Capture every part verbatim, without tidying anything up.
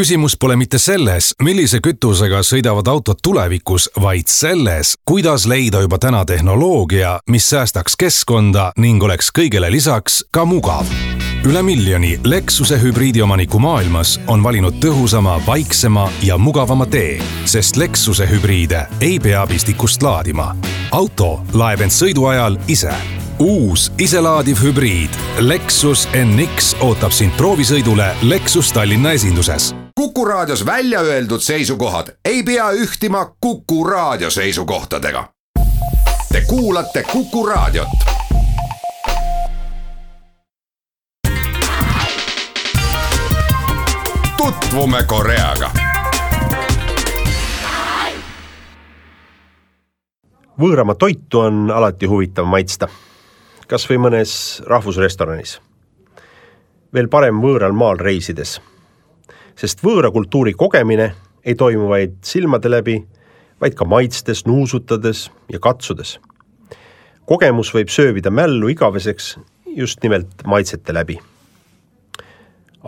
Küsimus pole mitte selles, millise kütusega sõidavad autod tulevikus, vaid selles, kuidas leida juba täna tehnoloogia, mis säästaks keskkonda ning oleks kõigele lisaks ka mugav. Üle miljoni Lexuse hübriidiomaniku maailmas on valinud tõhusama, vaiksema ja mugavama tee, sest Lexuse hübriide ei pea pistikust laadima. Auto laeb end sõidu ajal ise. Uus iselaadiv hübriid Lexus N X ootab sind proovisõidule Lexus Tallinna esinduses. Kuku raadios välja öeldud seisukohad ei pea ühtima Kuku raadio seisukohtadega. Te kuulate Kuku raadiot. Tutvume Koreaga. Võõrama toitu on alati huvitav maitsta, kas või mõnes rahvusrestoranis. Veel parem võõral maal reisides, sest võõra kultuuri kogemine ei toimu vaid silmade läbi, vaid ka maitstes, nuusutades ja katsudes. Kogemus võib söövida mällu igaveseks just nimelt maitsete läbi.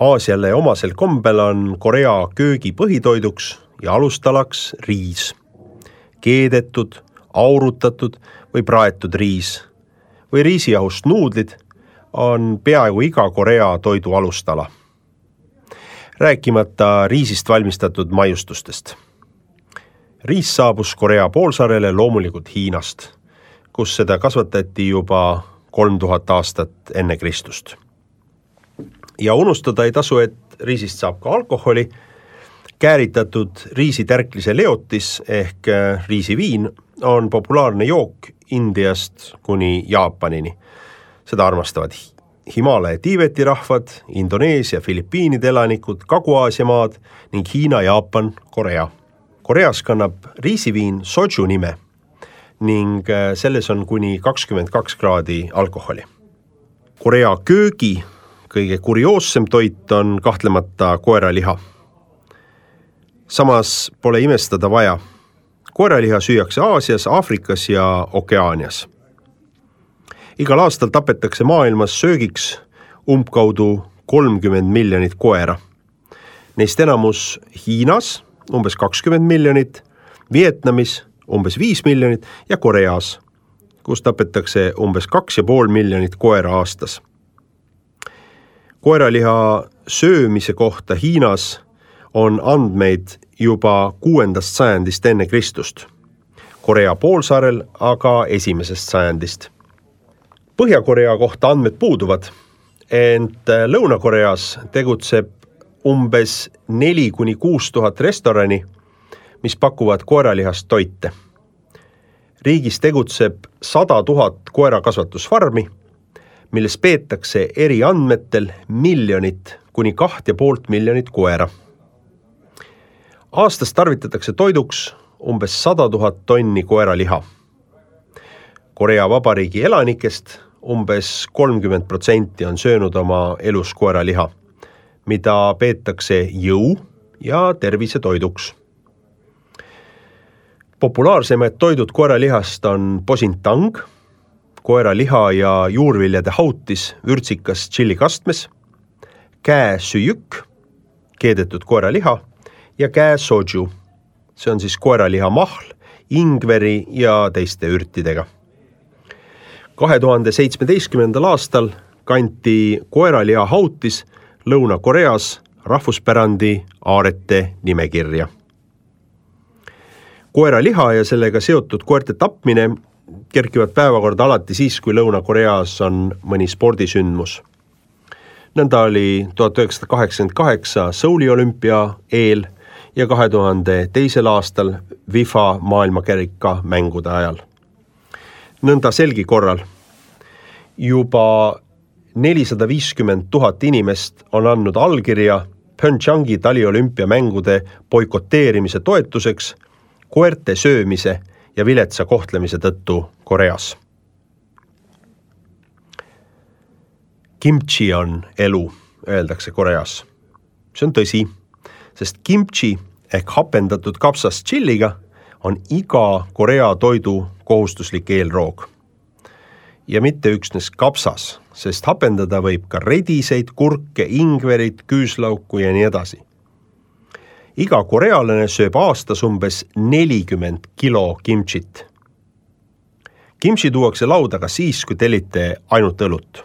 Aasiale omasel kombel on Korea köögi põhitoiduks ja alustalaks riis. Keedetud, aurutatud või praetud riis või riisijahust nuudlid on peaaegu iga Korea toidu alustala. Rääkimata riisist valmistatud maiustustest. Riis saabus Korea poolsaarele loomulikult Hiinast, kus seda kasvatati juba kolm tuhat aastat enne Kristust. Ja unustada ei tasu, et riisist saab ka alkoholi. Kääritatud riisitärklise leotis ehk riisiviin on populaarne jook Indiast kuni Jaapanini. Seda armastavad Himalaia Tiibeti rahvad, Indoneesia, Filipiinide elanikud, Kagu-Aasia maad ning Hiina, Jaapan, Korea. Koreas kannab riisiviin soju nime ning selles on kuni kakskümmend kaks kraadi alkoholi. Korea köögi kõige kurioossem toit on kahtlemata koeraliha. Samas pole imestada vaja. Koeraliha süüakse Aasias, Aafrikas ja Okeaanias. Igal aastal tapetakse maailmas söögiks umbkaudu kolmkümmend miljonit koera. Neist enamus Hiinas umbes kakskümmend miljonit, Vietnamis umbes viis miljonit ja Koreas, kus tapetakse umbes kaks ja pool miljonit koera aastas. Koeraliha söömise kohta Hiinas on andmeid juba kuuendast sajandist enne Kristust. Korea poolsaarel aga esimesest sajandist. Põhja-Korea kohta andmed puuduvad, ent Lõuna-Koreas tegutseb umbes neli kuni kuus tuhat restorani, mis pakuvad koeralihast toite. Riigis tegutseb sada tuhat koerakasvatusfarmi, milles peetakse eri andmetel miljonit kuni kaht ja poolt miljonit koera. Aastas tarvitatakse toiduks umbes sada tuhat tonni koeraliha. Korea Vabariigi elanikest umbes kolmkümmend protsenti on söönud oma elus koeraliha, mida peetakse jõu ja tervise toiduks. Populaarsemad toidud koeralihast on posintang, koeraliha ja juurviljade hautis vürtsikas tšillikastmes, käe süüjük, keedetud koeraliha ja käe soju. See on siis koeraliha mahl, ingveri ja teiste ürtidega. kahe tuhande seitsmeteistkümnendal aastal kanti koeraliha hautis Lõuna-Koreas rahvuspärandi aarete nimekirja. Koeraliha ja sellega seotud koerte tapmine kerkivad päevakorda alati siis, kui Lõuna-Koreas on mõni spordisündmus. Nõnda oli tuhat üheksasada kaheksakümmend kaheksa Souli olümpia eel ja kahe tuhande teisel aastal FIFA maailmakerika mängude ajal. Nõnda selgi korral juba nelisada viiskümmend tuhat inimest on andnud allkirja Pyeongchangi taliolümpia mängude boikoteerimise toetuseks koerte söömise ja viletsa kohtlemise tõttu Koreas. Kimchi on elu, öeldakse Koreas. See on tõsi, sest kimchi ehk hapendatud kapsas chilliga on iga Korea toidu kohustuslik eelroog. Ja mitte üksnes kapsas, sest hapendada võib ka rediseid, kurke, ingverit, küüslauku ja nii edasi. iga korealane sööb aastas umbes nelikümmend kilo kimchit. Kimchi tuuakse lauda ka siis, kui tellite ainult õlut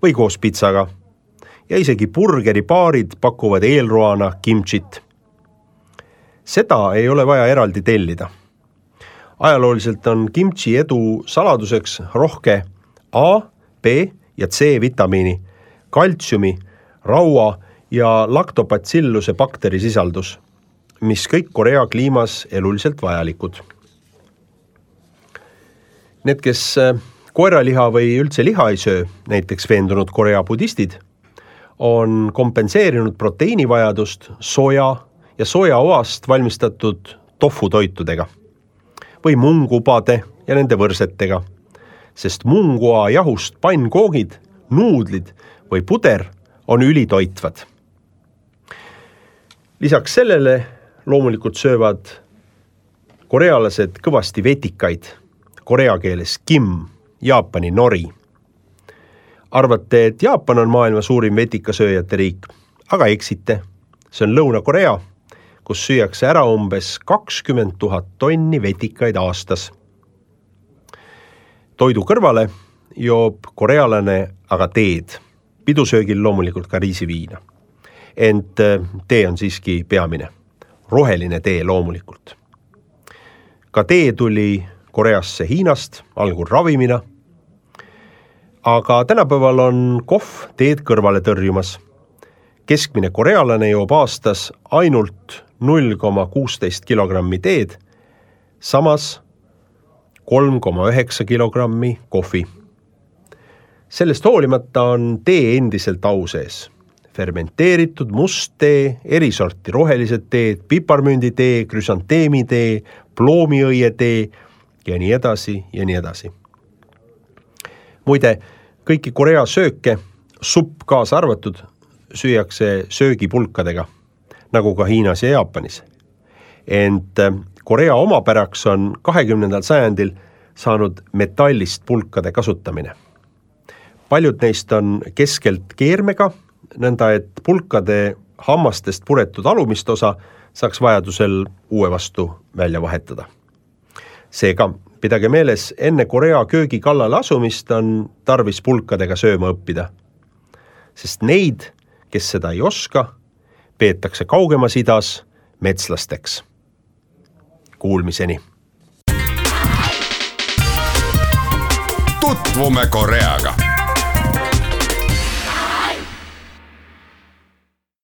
või koos pitsaga ja isegi burgeripaarid pakuvad eelroana kimchit. Seda ei ole vaja eraldi tellida. Ajalooliselt on kimchi edu saladuseks rohke A, B ja C vitamiini, kaltsiumi, raua ja laktobacilluse bakterisisaldus, mis kõik Korea kliimas eluliselt vajalikud. Need, kes koeraliha või üldse liha ei söö, näiteks veendunud Korea budistid, on kompenseerinud proteiinivajadust soja ja sojaoast valmistatud tofutoitudega või mungupade ja nende võrsetega, sest mungoa jahust pannkoogid, nuudlid või puder on ülitoitvad. Lisaks sellele loomulikult söövad korealased kõvasti vetikaid, korea keeles kim, Jaapani nori. Arvate, et Jaapan on maailma suurim vetikasööjate riik, aga eksite. See on Lõuna-Korea, kus süüakse ära umbes kakskümmend tuhat tonni vetikaid aastas. Toidu kõrvale joob korealane aga teed, pidusöögil loomulikult ka riisiviina. Ent tee on siiski peamine, roheline tee loomulikult. Ka tee tuli Koreasse Hiinast, algul ravimina, aga tänapäeval on kohv teed kõrvale tõrjumas. Keskmine korealane joob aastas ainult null koma kuusteist kilogrammi teed, samas kolm koma üheksa kilogrammi kohvi. Sellest hoolimata on tee endiselt au sees. Fermenteeritud must tee, erisorti rohelised teed, piparmünditee, krüsanteemitee, ploomiõietee ja nii edasi ja nii edasi. Muide, kõiki Korea sööke, supp kaasa arvatud, süüakse söögipulkadega, nagu ka Hiinas ja Jaapanis. Ent Korea omapäraks on kahekümnendal sajandil saanud metallist pulkade kasutamine. Paljud neist on keskelt keermega, nõnda et pulkade hammastest puretud alumist osa saaks vajadusel uue vastu välja vahetada. Seega, pidage meeles, enne Korea köögi kallale asumist on tarvis pulkadega sööma õppida. Sest neid, kes seda ei oska, peetakse kaugemas idas metslasteks. Kuulmiseni! Tutvume Koreaga.